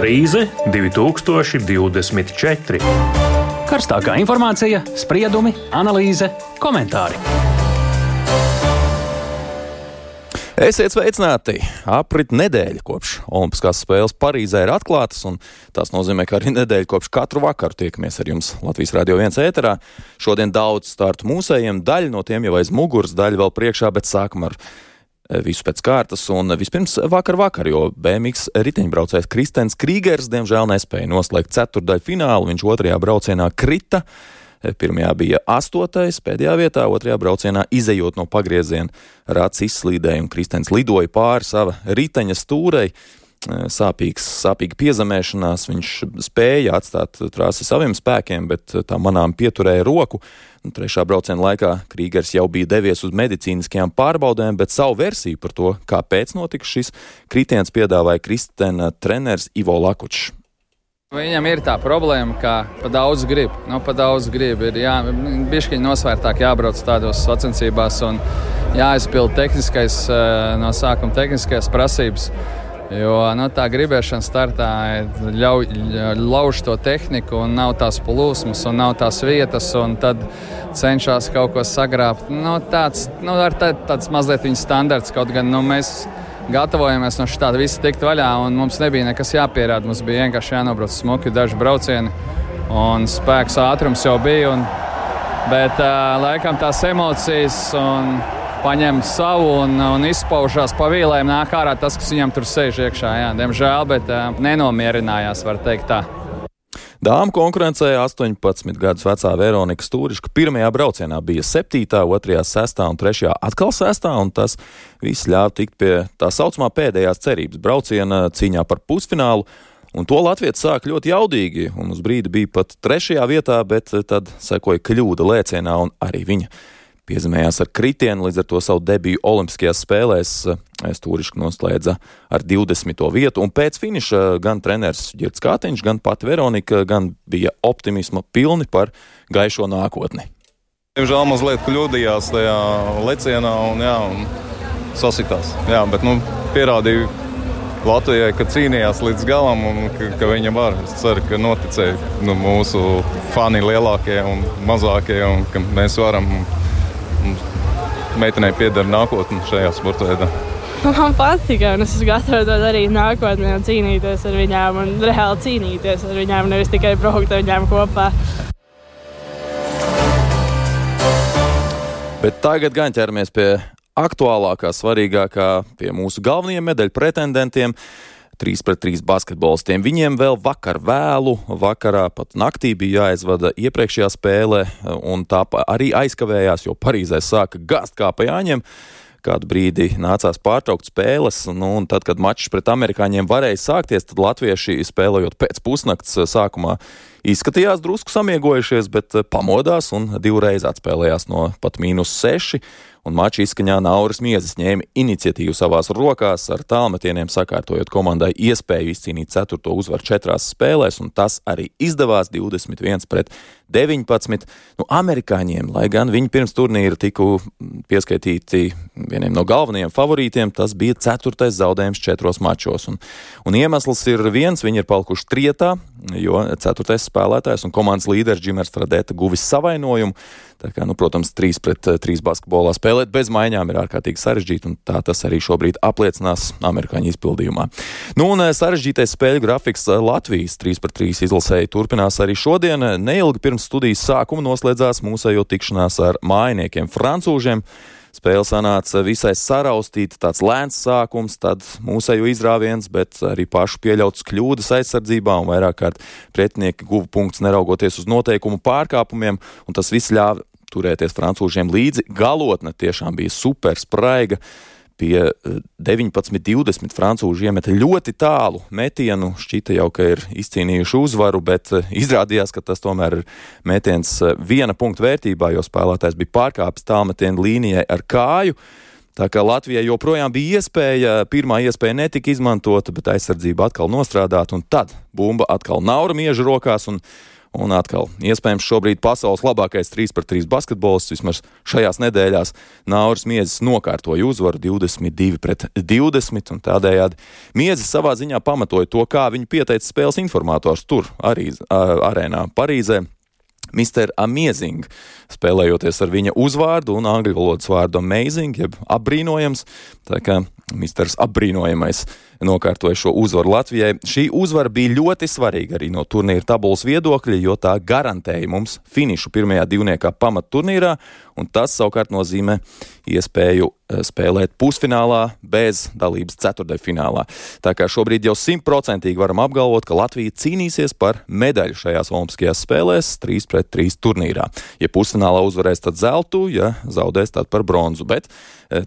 Analīze 2024. Karstākā informācija, spriedumi, analīze, komentāri. Esiet sveicināti! Aprit nedēļa kopš Olimpiskās spēles Parīzē ir atklātas, un tas nozīmē, ka arī nedēļa kopš katru vakaru tiekamies ar jums Latvijas Radio 1 ēterā. Šodien daudz startu mūsējiem, daļa no tiem jau aiz muguras, daļa vēl priekšā, bet sākam ar visu pēc kārtas. Un vispirms vakar, jo BMX riteņbraucējs Kristens Krīgers diemžēl nespēja noslēgt ceturtdaļu finālu, viņš otrajā braucienā krita. Pirmajā bija 8. pēdējā vietā, otrajā braucienā izejot no pagrieziena rats izslīdēja un Kristens lidoja pāri sava riteņa stūrei. Sāpīga piezemēšanās, viņš spēja atstāt trasi saviem spēkiem, bet tā manām pieturēja roku. Trešā brauciena laikā Krīgers jau bija devies uz medicīniskajām pārbaudēm, bet savu versiju par to, kāpēc notika šis kritiens, piedāvāja Kristena treneris Ivo Lakučs. Viņam ir tā problēma, ka pa daudz grib. Ir bišķiņ nosvērtāk jābrauc tādos sacensībās un jāizpild no sākuma tehniskais prasības. Jo tā gribēšana startā lauž to tehniku un nav tās plūsmas un nav tās vietas un tad cenšas kaut ko sagrābt. Tāds mazliet viņa standarts, kaut gan mēs gatavojamies no šitāda visa tikt vaļā, un mums nebija nekas jāpierāda. Mums bija vienkārši jānobrauc smuki daži braucieni, un spēks ātrums jau bija. Bet laikam tās emocijas paņem savu un izpaužās pa vīlēm, nāk ārā tas, kas viņam tur sēž iekšā. Jā, diemžēl, bet nenomierinājās, var teikt tā. Dāmu konkurencē 18 gadus vecā Veronika Stūriška pirmajā braucienā bija 7., otrajā 6. un 3. atkal 6. un tas viss ļāva tikt pie tā saucamā pēdējās cerības brauciena cīņā par pusfinālu. Un to latvietis sāk ļoti jaudīgi, un uz brīdi bija pat 3. vietā, bet tad sekoja kļūda lēcienā, un arī viņa piezemējās ar kritienu, līdz ar to savu debiju Olimpiskajās spēlēs Stūriška noslēdza ar 20. vietu, un pēc finiša gan treneris Girts Kātiņš, gan pati Veronika gan bija optimisma pilni par gaišo nākotni. Diemžēl mazliet kļūdījās tajā lecienā un sasitās. Jā, bet pierādīja Latvijai, ka cīnījās līdz galam un ka viņa var. Es ceru, ka noticēja mūsu fani lielākie un mazākie un ka mēs varam. Meitenei pieder nākotne šajā sporta veidā. Man patika, un es esmu gatava to darīt nākotnē un cīnīties ar viņām un reāli cīnīties ar viņām, nevis tikai braukt ar viņām kopā. Bet tagad gan ķeramies pie aktuālākā, svarīgākā, pie mūsu galvenajiem medaļu pretendentiem. 3-3 basketbolistiem. Viņiem vēl vakarā, pat naktī bija jāizvada iepriekšējā spēle, un tā arī aizkavējās, jo Parīzē sāka gāzt kā pa jāņem. Kādu brīdi nācās pārtraukt spēles, un tad, kad mačs pret amerikāņiem varēja sākties, tad latvieši spēlējot pēc pusnakts sākumā izskatījās drusku samiegojušies, bet pamodās un divreiz atspēlējās no pat -6. Un mača izskaņā Nauris Miezis ņēma iniciatīvu savās rokās, ar tālmetieniem sakārtojot komandai iespēju izcīnīt 4. uzvaru 4 spēlēs, un tas arī izdevās 21-19. Amerikāņiem, lai gan viņi pirms turnīra tiku pieskaitīti vieniem no galvenajiem favorītiem, tas bija 4. zaudējums 4 mačos. Un iemesls ir viens, viņi ir palikuši trietā, jo 4. spēlētājs un komandas līderis Džimers Fradeta guvis savainojumu. Tā kā, protams, 3-3 basketbolā spēlēt bez maiņām ir ārkārtīgi sarežģīti, un tā tas arī šobrīd apliecinās amerikāņu izpildījumā. Un sarežģītais spēļu grafiks Latvijas 3-3 izlasēji turpinās arī šodien. Neilgi pirms studijas sākuma noslēdzās mūsējo tikšanās ar mājiniekiem francūžiem. Spēle sanāca visai saraustīta, tāds lēns sākums, tad mūsējo izrāviens, bet arī pašu pieļautas kļūdas aizsardzībā, un vairāk kārt pretinieki guva punktus neraugoties uz noteikumu pārkāpumiem, un tas viss ļāva turēties francūžiem līdzi. Galotne tiešām bija super spraiga. Pie 19-20 francūži iemeta ļoti tālu metienu. Šķita jau, ka ir izcīnījuši uzvaru, bet izrādījās, ka tas tomēr ir metiens 1 punkta vērtībā, jo spēlētājs bija pārkāpis tālmetienu līnijai ar kāju. Tā kā Latvijai joprojām bija iespēja, pirmā iespēja netika izmantota, bet aizsardzība atkal nostrādāta, un tad bumba atkal Naura Mieža rokās, un Un atkal, iespējams, šobrīd pasaules labākais 3-3 basketbolists vismaz šajās nedēļās Nauris Miezis nokārtoja uzvaru 22-20, un tādējādi Miezis savā ziņā pamatoja to, kā viņu pieteica spēles informators tur, arī arēnā Parīzē. Mr. Amazing, spēlējoties ar viņa uzvārdu un angļu valodas vārdu amazing, jeb apbrīnojams, tā kā Misters apbrīnojamais nokārtoja šo uzvaru Latvijai. Šī uzvara bija ļoti svarīga arī no turnīra tabulas viedokļa, jo tā garantēja mums finišu pirmajā divniekā pamatturnīrā, un tas savukārt nozīmē iespēju spēlēt pusfinālā bez dalības ceturtdaļfinālā. Tā kā šobrīd jau 100% varam apgalvot, ka Latvija cīnīsies par medaļu šajās olimpiskajās spēlēs 3-3 turnīrā. Ja pusfinālā uzvarēs, tad zeltu, ja zaudēs, tad par bronzu, bet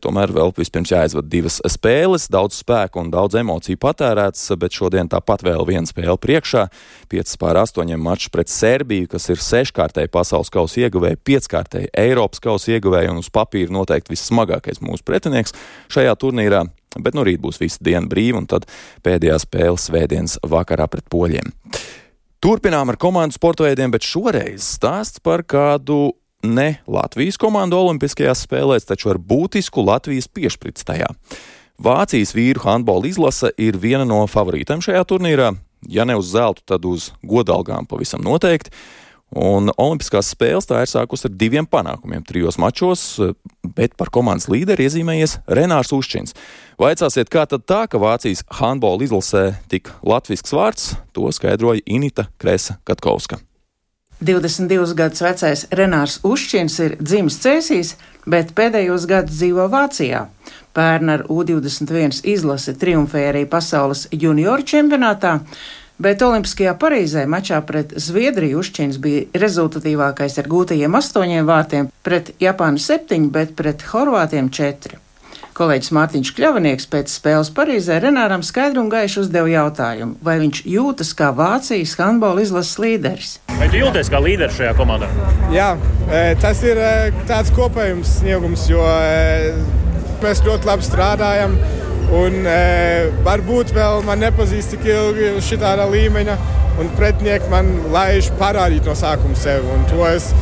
tomēr vēl vispirms jāizvada 2 spēles, daudz spēku un daudz emociju patērēts, bet šodien tāpat vēl viena spēle priekšā. 5-8 mačs pret Serbiju, kas ir 6-kārtēji pasaules kausa ieguvēji, 5-kārtēji Eiropas kausa ieguvēji un uz papīra noteikti vissmagākais mūsu pretinieks šajā turnīrā. Bet nu rīt būs visa diena brīva un tad pēdējā spēle svētdienas vakarā pret poļiem. Turpinām ar komandu sporta veidiem, bet šoreiz stāsts par kādu ne Latvijas komandu olimpiskajās spēlēs, taču ar būtisku Latvijas piešprici tajā. Vācijas vīru handbola izlase ir viena no favorītēm šajā turnīrā. Ja ne uz zeltu, tad uz godalgām pavisam noteikti. Un olimpiskās spēles tā ir sākus ar 2 panākumiem 3 mačos, bet par komandas līderi iezīmējies Renārs Uščins. Vaicāsiet, kā tad tā, ka Vācijas handbola izlasē tik latvisks vārds, to skaidroja Inita Kresa-Katkovska. 22 gadus vecais Renārs Uščins ir dzimis Cēsīs, bet pēdējos gadus dzīvo Vācijā. Pērn ar U21 izlasi triumfēja arī pasaules junioru čempionātā, bet Olimpiskajā Parīzē mačā pret Zviedriju Uščins bija rezultatīvākais ar gūtajiem 8 vārtiem, pret Japānu 7, bet pret Horvātiem 4. Kolēģis Mārtiņš Kļavinieks pēc spēles Parīzē Renāram skaidru un gaišu uzdeva jautājumu, vai viņš jūtas kā Vācijas handbola izlases līderis. Vai tu jūties kā līderis šajā komandā? Jā, tas ir tāds kopējums sniegums, jo mēs ļoti labi strādājam un varbūt vēl man nepazīst tik ilgi šitādā līmeņa un pretinieki man laiž parādīt no sākuma sevi un to es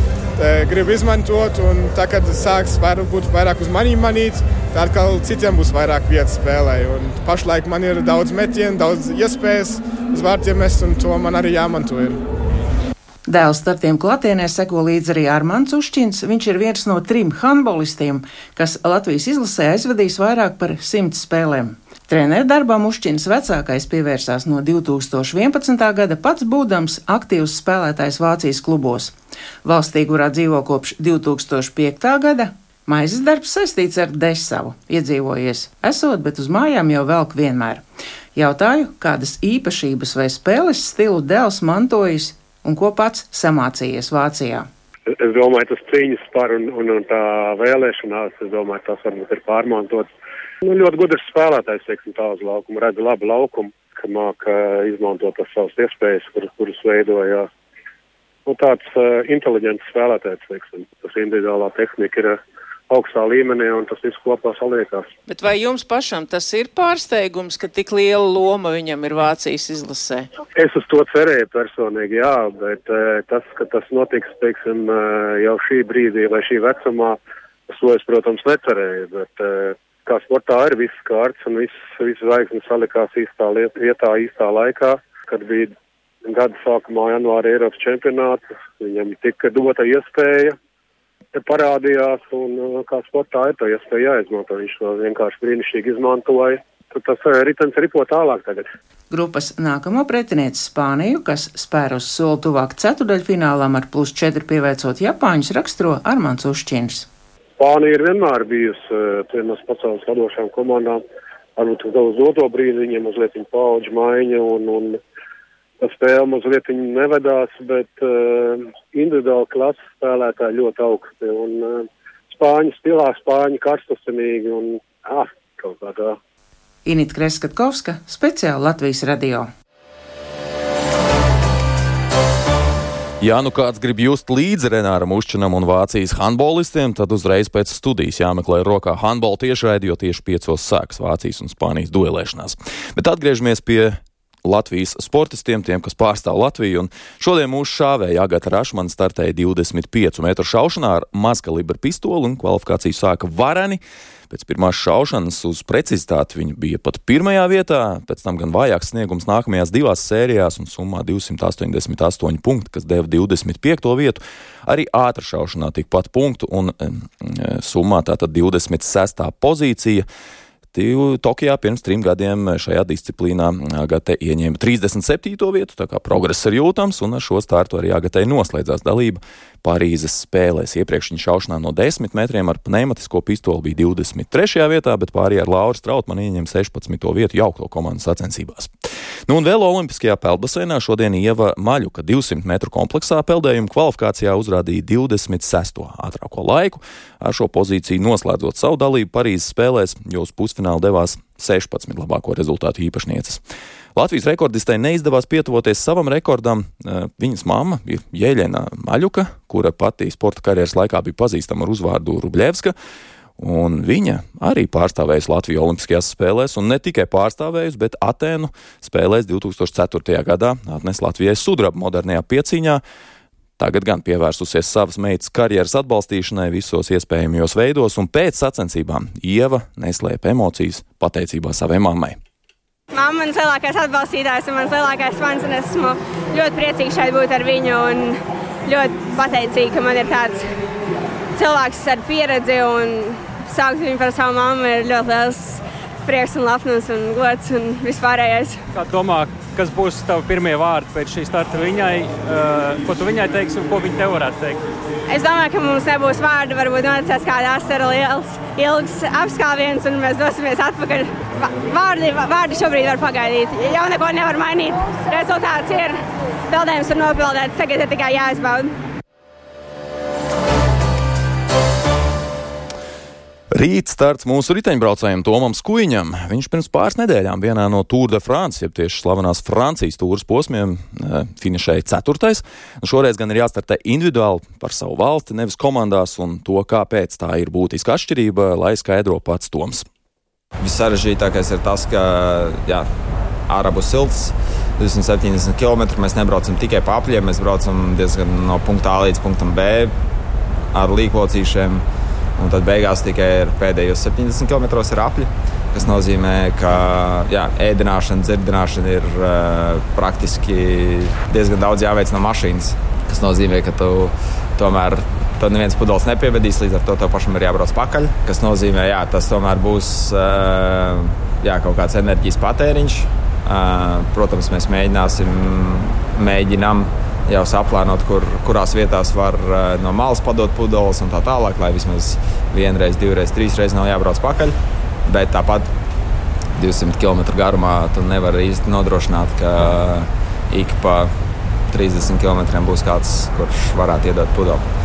gribu izmantot, un tā, kad sāks būt vairāk uz manīm manīt, tā atkal citiem būs vairāk vietas spēlē. Un pašlaik man ir daudz metienu, daudz iespējas uz vārtiem mest, un to man arī jāmanto ir. Dēls startiem klātienē seko līdz arī Armands Uščins. Viņš ir viens no 3 handbolistiem, kas Latvijas izlasē aizvadīs vairāk par 100 spēlēm. Treneru darbam Uščins vecākais pievērsās no 2011. gada, pats būdams aktīvs spēlētājs Vācijas klubos. Valstī, kurā dzīvo kopš 2005. gada, maizes darbs saistīts ar Desavu. Iedzīvojies esot, bet uz mājām jau velk vienmēr. Jautāju, kādas īpašības vai spēles stilu dēls mantojis un ko pats samācījies Vācijā. Es domāju, tas cīņas par un tā vēlēšanās, es domāju, tas varbūt ir pārmantots. Ļoti gudrs spēlētājs, teiksim, tā uz laukumu, redz labu laukumu, ka māka izmantot tas savas iespējas, kuras veidoja. Tāds inteliģents spēlētājs, teiksim, tas individuālā tehnika ir augstā līmenī un tas viss kopā saliekās. Bet vai jums pašam tas ir pārsteigums, ka tik liela loma viņam ir Vācijas izlasē? Es uz to cerēju personīgi, jā, bet tas, ka tas notiks, teiksim, jau šī brīdī vai šī vecumā, to es, protams, necerēju, bet kā sportā ir viss kārts un viss zvaigznes salikās īstā vietā, īstā laikā, kad bija gada sākumā janvāra Eiropas čempionāts, viņam tika dota iespēja, parādījās un kā sportā ir to iespēju jāizmanto, viņš to vienkārši brīnišķīgi izmantoja. Tad tas ritens ripo tālāk tagad. Grupas nākamo pretinieci Spāniju, kas spēr uz soli tuvāk ceturdaļfinālam ar +4 pieveicot Japāņus, raksturo Armands Uščins. Spānija ir vienmēr bijusi vienas pasaules vadošām komandām. Varbūt uz doto brīdi viņiem mazliet paudžu maiņa un tā spēle mazliet nevedās, bet individuāli klases spēlētāji ļoti augsti. Un Spāņu stilā, Spāņu karstasinīgi un kaut kādā. Inita Kresa-Katkovska, speciāli Latvijas radio. Ja nu kāds grib just līdzi Renāram Uščinam un Vācijas handbolistiem, tad uzreiz pēc studijas jāmeklē rokā handbola tiešraidi, jo tieši 5 sāks Vācijas un Spānijas duelēšanās. Bet atgriežamies pie Latvijas sportistiem, tiem, kas pārstāv Latviju. Un šodien mūsu šāvēja Agata Rašmana startēja 25 metru šaušanā ar mazkalibra pistoli un kvalifikāciju sāka vareni. Pēc pirmās šaušanas uz precizitāti viņa bija pat pirmajā vietā, pēc tam gan vājāks sniegums nākamajās divās sērijās un summā 288 punkti, kas deva 25. vietu. Arī ātra šaušanā tikpat punktu un summā tātad 26. pozīcija. Tokijā pirms 3 gadiem šajā disciplīnā Agate ieņēma 37. vietu, tā kā progress ir jūtams, un ar šo startu arī Agatei noslēdzās dalība Parīzes spēlēs. Iepriekš viņa šaušanā no 10 metriem ar pneimatisko pistoli bija 23. vietā, bet pārējā ar Lauru Strautmanu ieņem 16. vietu jaukto komandu sacensībās. Un vēl olimpiskajā peldbaseinā šodien Ieva Maļuka 200 metru kompleksā peldējuma kvalifikācijā uzrādīja 26. ātrāko laiku, ar šo pozīciju noslēdzot savu dalību Parīzes spēlēs, jo uz pusfinālu devās 16 labāko rezultātu īpašnieces. Latvijas rekordistei neizdevās pietuvoties savam rekordam. Viņas mamma ir Jeļena Maļuka, kura pati sporta karjeras laikā bija pazīstama ar uzvārdu Rubļevska, un viņa arī pārstāvējusi Latviju olimpiskajās spēlēs, un ne tikai pārstāvējusi, bet Atēnu spēlēs 2004. gadā atnes Latvijai sudrabu modernajā piecīņā. Tagad gan pievērsusies savas meitas karjeras atbalstīšanai visos iespējamajos veidos, un pēc sacensībām Ieva neslēpa emocijas pateicībā savai mammai. Mamma ir mans lielākais atbalstītājs un mans lielākais fans, un esmu ļoti priecīga šeit būt ar viņu un ļoti pateicīga, ka man ir tāds cilvēks ar pieredzi un saukt viņu par savu mammu ir ļoti liels prieks un lepnums un gods un vispārējais. Kā domā, kas būs tavi pirmie vārdi pēc šī starta viņai, ko tu viņai teiksi un ko viņa tev varētu teikt? Es domāju, ka mums nebūs vārdi, varbūt noticēs kāda asara liels, ilgs apskāviens un mēs dosimies atpakaļ. Vārdi šobrīd var pagaidīt, jau neko nevar mainīt. Rezultāts ir, peldējums ir nopildēts, tagad ir tikai jāizbauda. Rīt starts mūsu riteņbraucējiem Tomam Skuiņam. Viņš pirms pāris nedēļām vienā no Tour de France, jeb tieši slavenās Francijas tūras posmiem, finišēja 4. Šoreiz gan ir jāstartē individuāli par savu valsti, nevis komandās, un to, kāpēc tā ir būtiska atšķirība, lai skaidro pats Toms. Vissarežģītākais ir tas, ka ārā būs silts, 270 km. Mēs nebraucam tikai pa apļiem, mēs braucam diezgan no punkta A līdz punktam B ar līklocīšiem. Un tad beigās tikai ir pēdējos 70 km ir apļi, kas nozīmē, ka ēdināšana, dzirdināšana ir praktiski diezgan daudz jāveic no mašīnas. Tas nozīmē, ka tomēr neviens pudeles nepievedīs, līdz ar to tev pašam ir jābrauc pakaļ. Kas nozīmē, tas tomēr būs kaut kāds enerģijas patēriņš. Protams, mēs mēģinām jau saplānot, kurās vietās var no malas padot pudeles un tā tālāk, lai vismaz 1, 2, 3 nav jābrauc pakaļ. Bet tāpat 200 km garumā tu nevari īsti nodrošināt, ka ik pa 30 km būs kāds, kurš varētu iedot pudeli.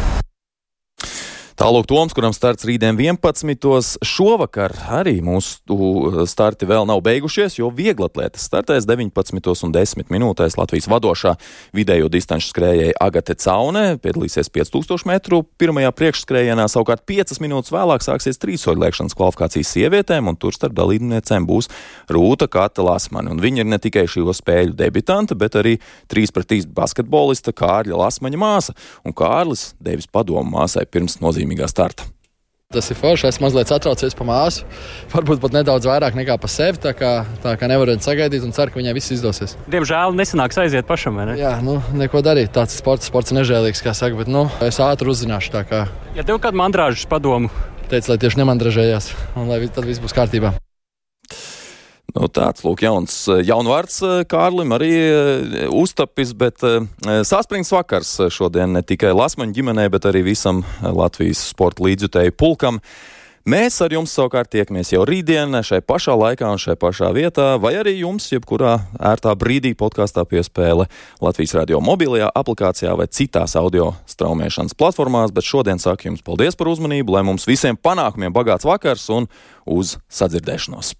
Tālūk Toms, kuram starts rītdien 11. Šovakar arī mūsu starti vēl nav beigušies, jo vieglatlētas startēs 19 un 10 minūtēs Latvijas vadošā vidējo distanču skrējēja Agate Caune, piedalīsies 5000 metru pirmajā priekšskrējienā, savukārt 5 minūtes vēlāk sāksies trīssoļlēkšanas kvalifikācijas sievietēm, un tur starp dalībniecēm būs Rūta Kata Lasmane, un viņa ir ne tikai šo spēļu debitanta, bet arī 3-3 basketbolista Kārļa Lasmaņa māsa, un Kārlis devis padomu māsai pirms nozīmīgā starta. Tas ir forši, es mazliet satraucies pa māsu, varbūt pat nedaudz vairāk nekā pa sevi, tā kā nevaru sagaidīt un ceru, ka viņai viss izdosies. Diemžēl nesanāks aiziet pašam, vai ne? Jā, neko darīt, tāds sports ir nežēlīgs, kā saka, bet es ātri uzzināšu, tā kā. Ja tev kādu mandrāžas padomu? Teicu, lai tieši nemandražējās, un lai tad viss būs kārtībā. Tāds, lūk, jaunvārds Kārlim arī uztapis, bet saspringts vakars šodien ne tikai Lasmaņu ģimenei, bet arī visam Latvijas sporta līdzjutēju pulkam. Mēs ar jums savukārt tiekamies jau rītdien šai pašā laikā un šai pašā vietā, vai arī jums, jebkurā ērtā brīdī podkāstā piespēle Latvijas radio mobilajā aplikācijā vai citās audio straumēšanas platformās, bet šodien saku jums paldies par uzmanību, lai mums visiem panākumiem bagāts vakars un uz sadzirdēšanos.